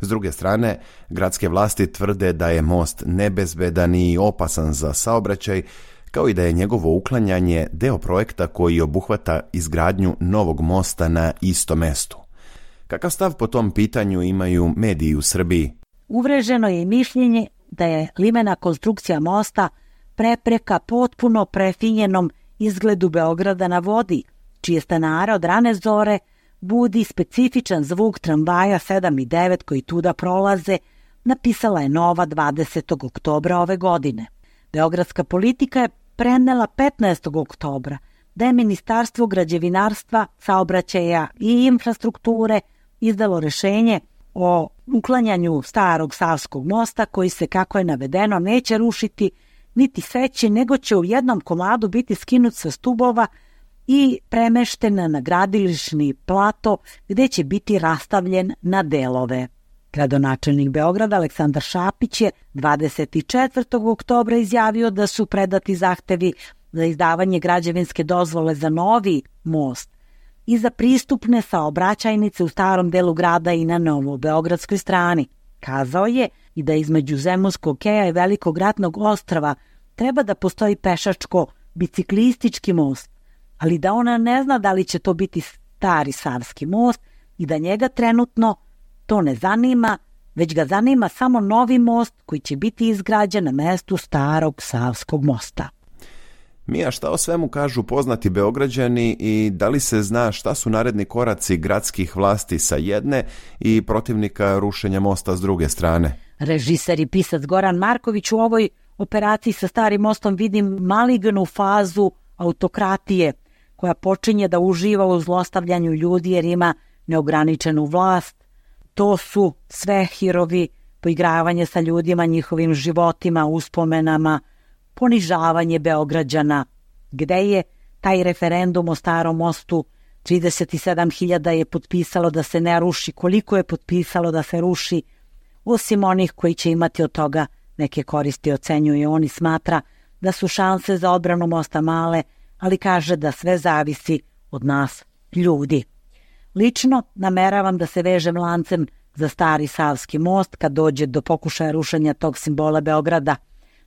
S druge strane, gradske vlasti tvrde da je most nebezbedan i opasan za saobraćaj, kao i da je njegovo uklanjanje deo projekta koji obuhvata izgradnju novog mosta na istom mestu. Kakav stav po tom pitanju imaju mediji u Srbiji? Uvreženo je i mišljenje da je limena konstrukcija mosta prepreka potpuno prefinjenom izgledu Beograda na vodi, čije stanare od rane zore budi specifičan zvuk tramvaja sedam i devet koji tuda prolaze, napisala je Nova dvadesetog oktobra ove godine. Beogradska politika je prenela petnaestog oktobra da je Ministarstvo građevinarstva, saobraćaja i infrastrukture izdalo rešenje o uklanjanju starog Savskog mosta koji se, kako je navedeno, neće rušiti niti seći, nego će u jednom komadu biti skinut sa stubova i premeštena na gradilišni plato gde će biti rastavljen na delove. Gradonačelnik Beograda Aleksandar Šapić je dvadeset četvrtog oktobra izjavio da su predati zahtevi za izdavanje građevinske dozvole za novi most i za pristupne saobraćajnice u starom delu grada i na novobeogradskoj strani. Kazao je i da između Zemunskog keja i Velikog ratnog ostrva treba da postoji pešačko-biciklistički most, ali da ona ne zna da li će to biti stari Savski most i da njega trenutno to ne zanima, već ga zanima samo novi most koji će biti izgrađen na mestu starog Savskog mosta. Mija, šta o svemu kažu poznati Beograđani i da li se zna šta su naredni koraci gradskih vlasti sa jedne i protivnika rušenja mosta s druge strane? Režiser i pisac Goran Marković u ovoj operaciji sa starim mostom vidi malignu fazu autokratije koja počinje da uživa u zlostavljanju ljudi jer ima neograničenu vlast. To su sve hirovi, poigravanje sa ljudima, njihovim životima, uspomenama, ponižavanje Beograđana. Gde je taj referendum o starom mostu? trideset sedam hiljada je potpisalo da se ne ruši. Koliko je potpisalo da se ruši? Osim onih koji će imati od toga neke koristi, ocenjuje. Oni smatra da su šanse za odbranu mosta male, ali kaže da sve zavisi od nas, ljudi. Lično nameravam da se vežem lancem za stari Savski most kad dođe do pokušaja rušenja tog simbola Beograda.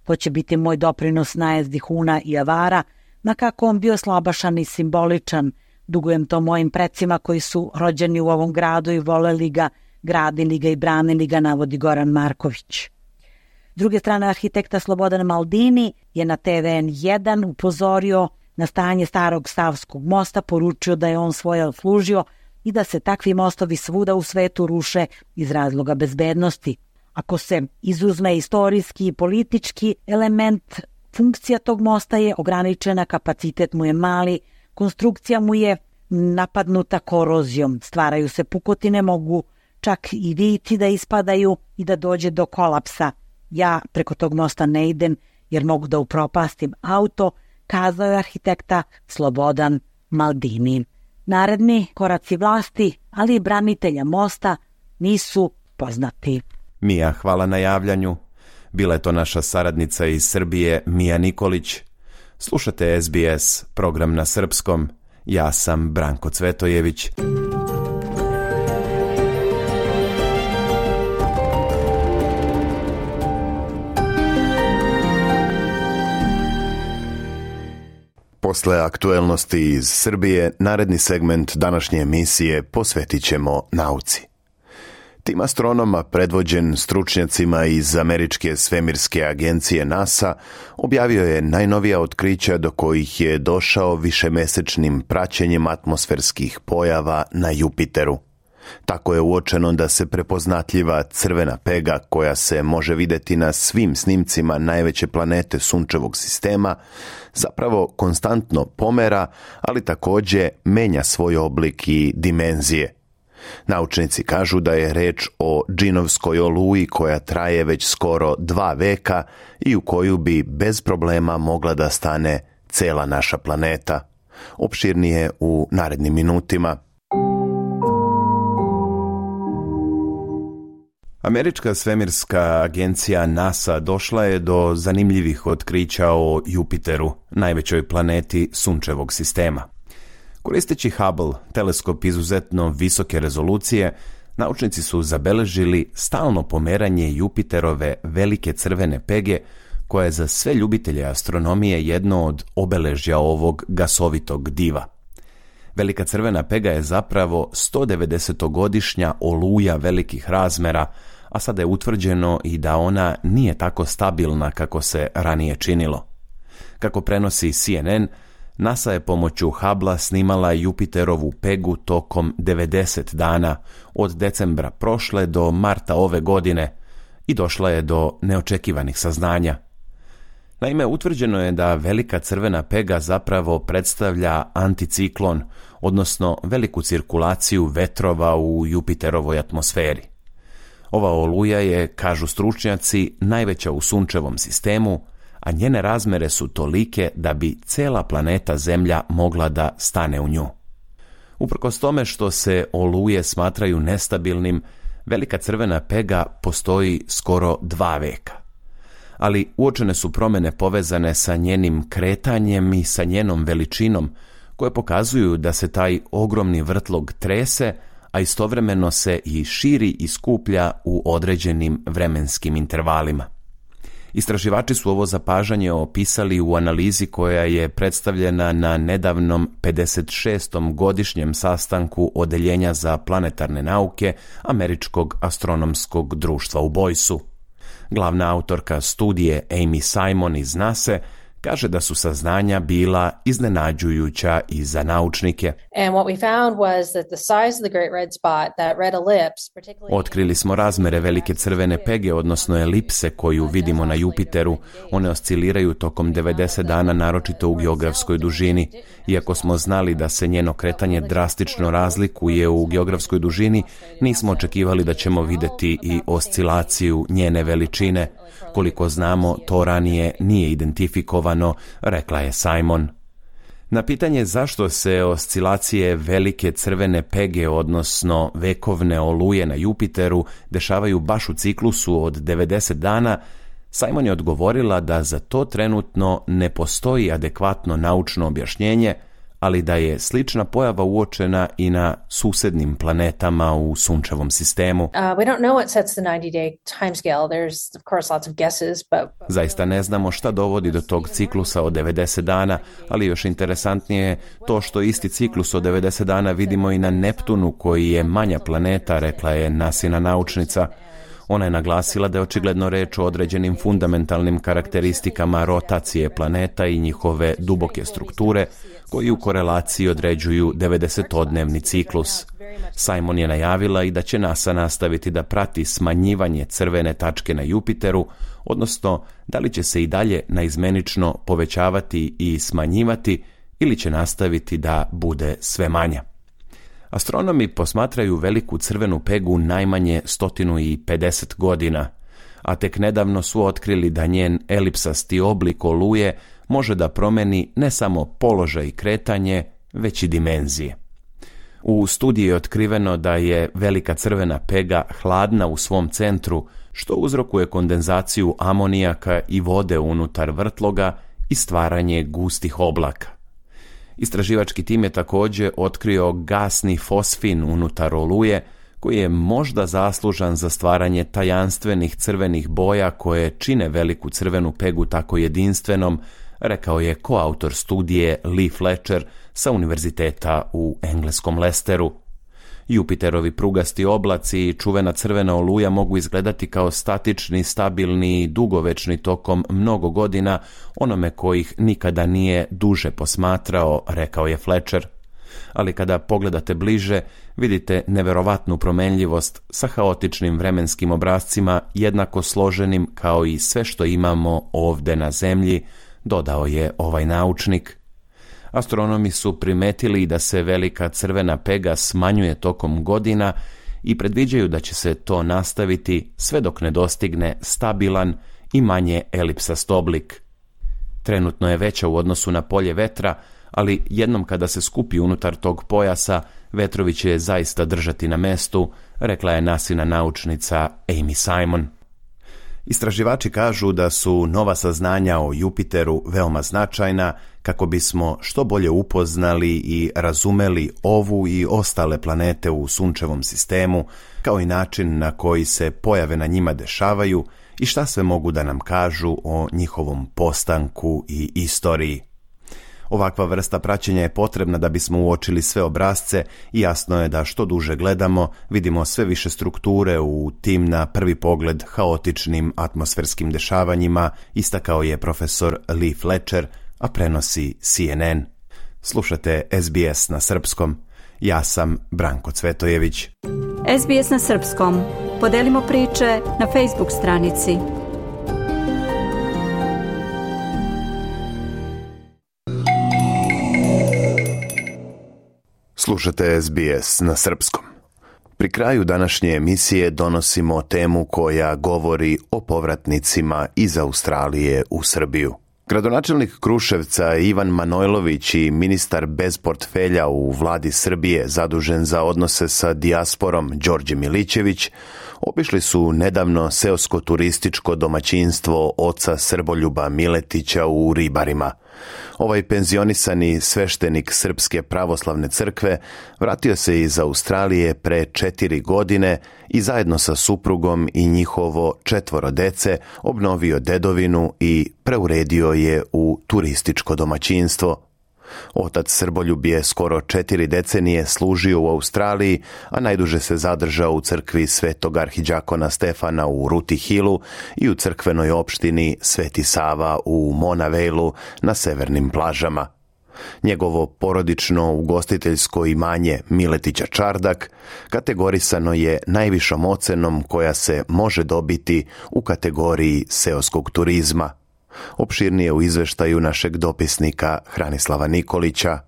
To će biti moj doprinos najezdi Huna i Avara, na kako on bio slabašan i simboličan. Dugujem to mojim precima koji su rođeni u ovom gradu i voleli ga, gradili ga i branili ga, navodi Goran Marković. S druge strane, arhitekta Slobodan Maldini je na te ve en jedan upozorio na stanje starog Savskog mosta, poručio da je on svoje odslužio i da se takvi mostovi svuda u svetu ruše iz razloga bezbednosti. Ako se izuzme istorijski i politički element, funkcija tog mosta je ograničena, kapacitet mu je mali, konstrukcija mu je napadnuta korozijom, stvaraju se pukotine, mogu čak i viti da ispadaju i da dođe do kolapsa. Ja preko tog mosta ne idem jer mogu da upropastim auto, kazao je arhitekta Slobodan Maldini. Naredni koraci vlasti, ali i branitelja mosta nisu poznati. Mija, hvala na javljanju. Bila je to naša saradnica iz Srbije, Mija Nikolić. Slušate es bi es, program na srpskom. Ja sam Branko Cvetojević. Posle aktuelnosti iz Srbije, naredni segment današnje emisije posvetit ćemo nauci. Tim astronoma, predvođen stručnjacima iz Američke svemirske agencije NASA, objavio je najnovija otkrića do kojih je došao višemesečnim praćenjem atmosferskih pojava na Jupiteru. Tako je uočeno da se prepoznatljiva crvena pega, koja se može vidjeti na svim snimcima najveće planete Sunčevog sistema, zapravo konstantno pomera, ali također menja svoj oblik i dimenzije. Naučnici kažu da je reč o džinovskoj oluji koja traje već skoro dva veka i u koju bi bez problema mogla da stane cela naša planeta. Opširnije u narednim minutima. Američka svemirska agencija NASA došla je do zanimljivih otkrića o Jupiteru, najvećoj planeti Sunčevog sistema. Koristeći Hubble, teleskop izuzetno visoke rezolucije, naučnici su zabeležili stalno pomeranje Jupiterove velike crvene pege, koja je za sve ljubitelje astronomije jedno od obeležja ovog gasovitog diva. Velika crvena pega je zapravo sto devedesetogodišnja oluja velikih razmera, a sada je utvrđeno i da ona nije tako stabilna kako se ranije činilo. Kako prenosi C N N, NASA je pomoću Hubble snimala Jupiterovu pegu tokom devedeset dana, od decembra prošle do marta ove godine, i došla je do neočekivanih saznanja. Naime, utvrđeno je da velika crvena pega zapravo predstavlja anticiklon, odnosno veliku cirkulaciju vetrova u Jupiterovoj atmosferi. Ova oluja je, kažu stručnjaci, najveća u Sunčevom sistemu, a njene razmere su tolike da bi cela planeta Zemlja mogla da stane u nju. Uprkos tome što se oluje smatraju nestabilnim, velika crvena pega postoji skoro dva veka. Ali uočene su promjene povezane sa njenim kretanjem i sa njenom veličinom, koje pokazuju da se taj ogromni vrtlog trese, a istovremeno se i širi i skuplja u određenim vremenskim intervalima. Istraživači su ovo zapažanje opisali u analizi koja je predstavljena na nedavnom pedeset šestom godišnjem sastanku Odeljenja za planetarne nauke Američkog astronomskog društva u Boysu. Glavna autorka studije Amy Simon iz NASA kaže da su saznanja bila iznenađujuća i za naučnike. Otkrili smo razmere velike crvene pege, odnosno elipse koju vidimo na Jupiteru. One osciliraju tokom devedeset dana, naročito u geografskoj dužini. Iako smo znali da se njeno kretanje drastično razlikuje u geografskoj dužini, nismo očekivali da ćemo vidjeti i oscilaciju njene veličine. Koliko znamo, to ranije nije identifikovano, rekla je Simon. Na pitanje zašto se oscilacije velike crvene pege, odnosno vekovne oluje na Jupiteru, dešavaju baš u ciklusu od devedeset dana, Simon je odgovorila da za to trenutno ne postoji adekvatno naučno objašnjenje, ali da je slična pojava uočena i na susednim planetama u sunčevom sistemu. Uh, we don't know what sets the ninety-day timescale. There's of course lots of guesses, but Zaista ne znamo šta dovodi do tog ciklusa od devedeset dana, ali još interesantnije je to što isti ciklus od devedeset dana vidimo i na Neptunu, koji je manja planeta, rekla je NASIna naučnica. Ona je naglasila da je očigledno reč o određenim fundamentalnim karakteristikama rotacije planeta i njihove duboke strukture, koji u korelaciji određuju devedesetodnevni ciklus. Simon je najavila i da će NASA nastaviti da prati smanjivanje crvene tačke na Jupiteru, odnosno da li će se i dalje naizmenično povećavati i smanjivati ili će nastaviti da bude sve manja. Astronomi posmatraju veliku crvenu pegu najmanje sto pedeset godina, a tek nedavno su otkrili da njen elipsasti oblik oluje može da promeni ne samo položaj i kretanje, već i dimenzije. U studiji je otkriveno da je velika crvena pega hladna u svom centru, što uzrokuje kondenzaciju amonijaka i vode unutar vrtloga i stvaranje gustih oblaka. Istraživački tim je također otkrio gasni fosfin unutar oluje, koji je možda zaslužan za stvaranje tajanstvenih crvenih boja koje čine veliku crvenu pegu tako jedinstvenom, rekao je koautor studije Lee Fletcher sa univerziteta u engleskom Lesteru. Jupiterovi prugasti oblaci i čuvena crvena oluja mogu izgledati kao statični, stabilni i dugovečni tokom mnogo godina onome kojih nikada nije duže posmatrao, rekao je Fletcher. Ali kada pogledate bliže, vidite neverovatnu promenljivost sa haotičnim vremenskim obrascima jednako složenim kao i sve što imamo ovde na Zemlji, dodao je ovaj naučnik. Astronomi su primetili da se velika crvena pega smanjuje tokom godina i predviđaju da će se to nastaviti sve dok ne dostigne stabilan i manje elipsast oblik. Trenutno je veća u odnosu na polje vetra, ali jednom kada se skupi unutar tog pojasa, vetrovi će je zaista držati na mestu, rekla je NASIna naučnica Amy Simon. Istraživači kažu da su nova saznanja o Jupiteru veoma značajna kako bismo što bolje upoznali i razumeli ovu i ostale planete u sunčevom sistemu, kao i način na koji se pojave na njima dešavaju i šta sve mogu da nam kažu o njihovom postanku i istoriji. Ovakva vrsta praćenja je potrebna da bismo uočili sve obrasce i jasno je da što duže gledamo, vidimo sve više strukture u tim na prvi pogled haotičnim atmosferskim dešavanjima, istakao je profesor Lee Fletcher, a prenosi C N N. Slušate S B S na srpskom. Ja sam Branko Cvetojević. S B S na srpskom. Podelimo priče na Facebook stranici. Slušate S B S na srpskom. Pri kraju današnje emisije donosimo temu koja govori o povratnicima iz Australije u Srbiju. Gradonačelnik Kruševca Ivan Manojlović i ministar bez portfelja u vladi Srbije zadužen za odnose sa dijasporom Đorđe Milićević obišli su nedavno seosko-turističko domaćinstvo oca Srboljuba Miletića u Ribarima. Ovaj penzionisani sveštenik Srpske pravoslavne crkve vratio se iz Australije pre četiri godine i zajedno sa suprugom i njihovo četvoro dece obnovio dedovinu i preuredio je u turističko domaćinstvo. Otac Srboljub je skoro četiri decenije služio u Australiji, a najduže se zadržao u crkvi Svetog arhidžakona Stefana u Ruti Hillu i u crkvenoj opštini Sveti Sava u Monavejlu na severnim plažama. Njegovo porodično ugostiteljsko imanje Miletića Čardak kategorisano je najvišom ocenom koja se može dobiti u kategoriji seoskog turizma. Opširnije u izveštaju našeg dopisnika Hranislava Nikolića.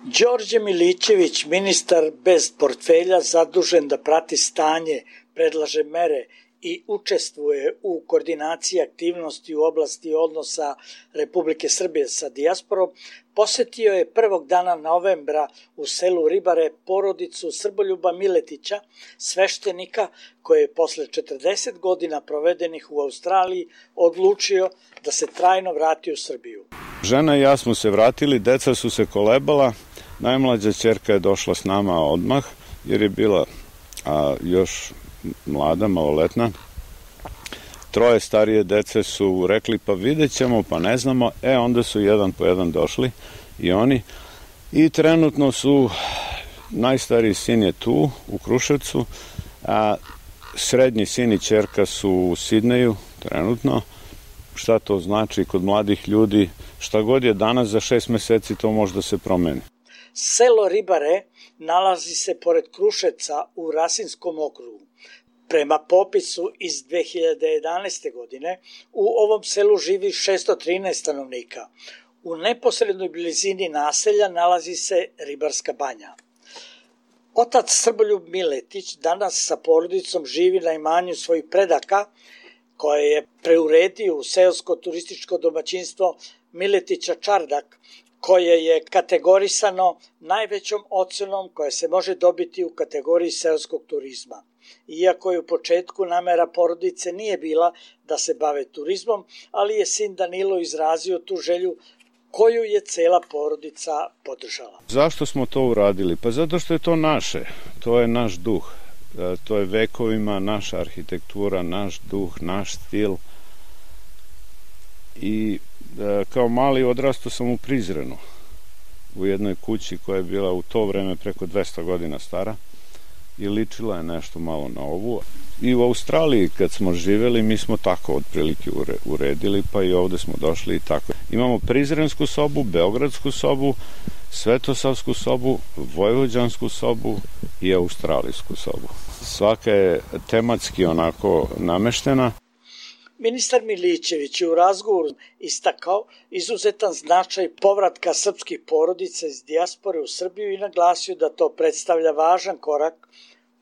Đorđe Milićević, ministar bez portfelja zadužen da prati stanje, predlaže mere i učestvuje u koordinaciji aktivnosti u oblasti odnosa Republike Srbije sa dijasporom, posetio je prvog dana novembra u selu Ribare porodicu Srboljuba Miletića, sveštenika koji je posle četrdeset godina provedenih u Australiji odlučio da se trajno vrati u Srbiju. Žena i ja smo se vratili, deca su se kolebala, Najmlađa ćerka je došla s nama odmah, jer je bila a, još mlada, maloletna. Troje starije dece su rekli pa vidjet ćemo, pa ne znamo. E, onda su jedan po jedan došli i oni. I trenutno su, najstariji sin je tu, u Kruševcu, a srednji sin i ćerka su u Sidneju, trenutno. Šta to znači kod mladih ljudi? Šta god je danas, za šest meseci to može da se promeni. Selo Ribare nalazi se pored Kruševca u Rasinskom okrugu. Prema popisu iz dve hiljade jedanaeste. godine u ovom selu živi šesto trinaest stanovnika. U neposrednoj blizini naselja nalazi se Ribarska banja. Otac Srboljub Miletić danas sa porodicom živi na imanju svojih predaka, koje je preuredio u seosko turističko domaćinstvo Miletića Čardak, koje je kategorisano najvećom ocenom koja se može dobiti u kategoriji seoskog turizma. Iako je u početku namera porodice nije bila da se bave turizmom, ali je sin Danilo izrazio tu želju koju je cela porodica podržala. Zašto smo to uradili? Pa zato što je to naše, to je naš duh, to je vekovima naša arhitektura, naš duh, naš stil. I kao mali odrastao sam u Prizrenu, u jednoj kući koja je bila u to vreme preko dvesta godina stara i ličila je nešto malo na ovu. I u Australiji kad smo živeli, mi smo tako otprilike uredili, pa i ovde smo došli i tako. Imamo Prizrensku sobu, Beogradsku sobu, Svetosavsku sobu, Vojvođansku sobu i Australijsku sobu. Svaka je tematski onako nameštena. Ministar Milićević je u razgovoru istakao izuzetan značaj povratka srpskih porodica iz dijaspore u Srbiju i naglasio da to predstavlja važan korak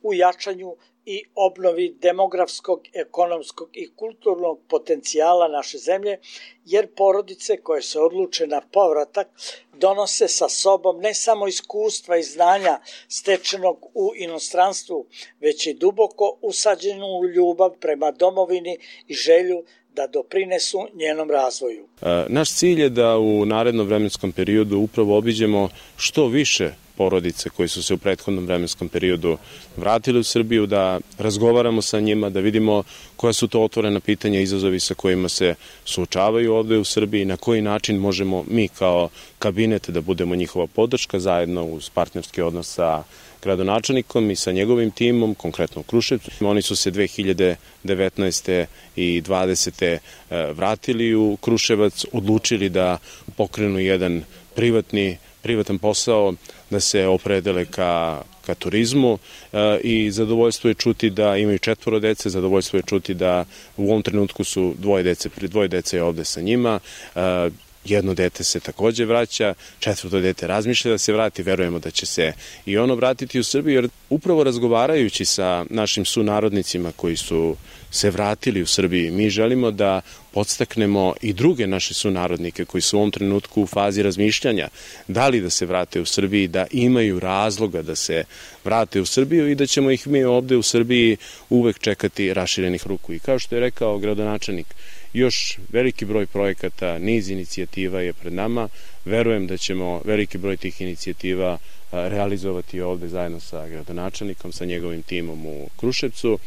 u jačanju i obnovi demografskog, ekonomskog i kulturnog potencijala naše zemlje, jer porodice koje se odluče na povratak donose sa sobom ne samo iskustva i znanja stečenog u inostranstvu, već i duboko usađenu ljubav prema domovini i želju da doprinesu njenom razvoju. Naš cilj je da u narednom vremenskom periodu upravo obiđemo što više porodice koji su se u prethodnom vremenskom periodu vratili u Srbiju, da razgovaramo sa njima, da vidimo koja su to otvorena pitanja i izazovi sa kojima se suočavaju ovde u Srbiji, na koji način možemo mi kao kabinet da budemo njihova podrška zajedno uz partnerski odnos sa gradonačelnikom i sa njegovim timom, konkretno u Kruševcu. Oni su se dve hiljade devetnaeste. i dvadesete. vratili u Kruševac, odlučili da pokrenu jedan privatni privatan posao, da se opredele ka, ka turizmu e, i zadovoljstvo je čuti da imaju četvoro dece, zadovoljstvo je čuti da u ovom trenutku su dvoje dece, dvoje dece je ovde sa njima, e, jedno dete se takođe vraća, četvrto dete razmišlja da se vrati, verujemo da će se i ono vratiti u Srbiju, jer upravo razgovarajući sa našim sunarodnicima koji su se vratili u Srbiji, mi želimo da podstaknemo i druge naše sunarodnike koji su u ovom trenutku u fazi razmišljanja da li da se vrate u Srbiji, da imaju razloga da se vrate u Srbiju i da ćemo ih mi ovde u Srbiji uvek čekati raširenih ruku. I kao što je rekao gradonačelnik, još veliki broj projekata, niz inicijativa je pred nama. Verujem da ćemo veliki broj tih inicijativa realizovati ovde zajedno sa gradonačelnikom, sa njegovim timom u Kruševcu.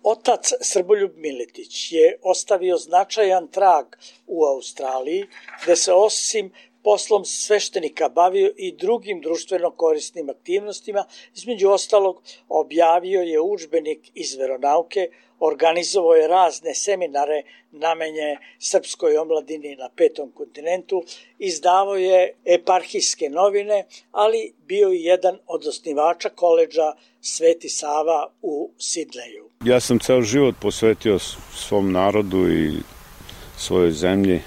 Otac Srboljub Miletić je ostavio značajan trag u Australiji, gde se osim poslom sveštenika bavio i drugim društveno korisnim aktivnostima. Između ostalog, objavio je udžbenik iz veronauke, organizovao je razne seminare namenjene srpskoj omladini na petom kontinentu, izdavao je eparhijske novine, ali bio i jedan od osnivača koledža Sveti Sava u Sidneju. Ja sam ceo život posvetio svom narodu i svojoj zemlji,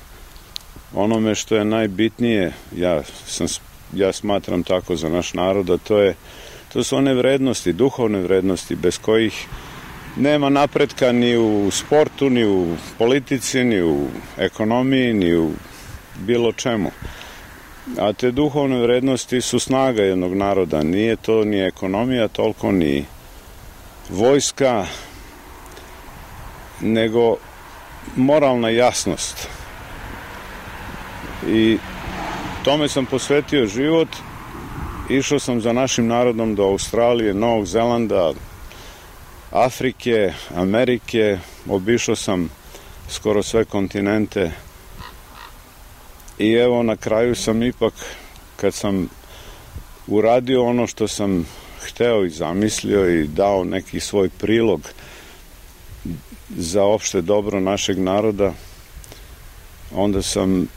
onome što je najbitnije, ja, sam, ja smatram tako za naš narod, a to, je, to su one vrednosti, duhovne vrednosti, bez kojih nema napretka ni u sportu, ni u politici, ni u ekonomiji, ni u bilo čemu. A te duhovne vrednosti su snaga jednog naroda, nije to ni ekonomija, toliko ni vojska, nego moralna jasnost. I tome sam posvetio život išao sam za našim narodom do Australije, Novog Zelanda, Afrike, Amerike, obišao sam skoro sve kontinente i evo na kraju sam ipak, kad sam uradio ono što sam hteo i zamislio i dao neki svoj prilog za opšte dobro našeg naroda, onda sam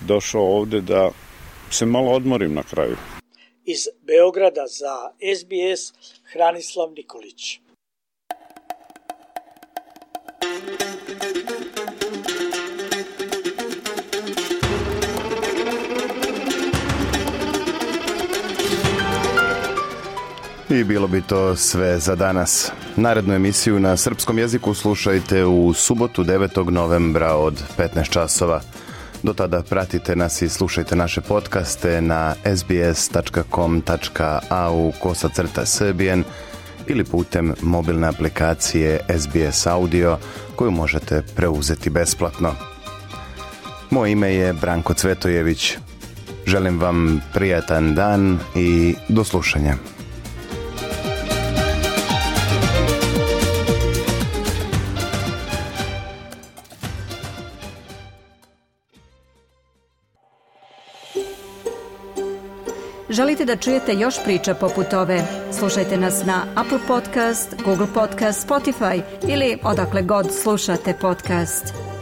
došao ovde da se malo odmorim na kraju. Iz Beograda za S B S Hranislav Nikolić. I bilo bi to sve za danas. Narednu emisiju na srpskom jeziku slušajte u subotu devetog novembra od petnaest časova. Do tada pratite nas i slušajte naše podcaste na sbs tačka com tačka a u kosacrta srbijen ili putem mobilne aplikacije S B S Audio koju možete preuzeti besplatno. Moje ime je Branko Cvetojević. Želim vam prijatan dan i do slušanja. Želite da čujete još priča poput ove? Slušajte nas na Apple Podcast, Google Podcast, Spotify ili odakle god slušate podcast.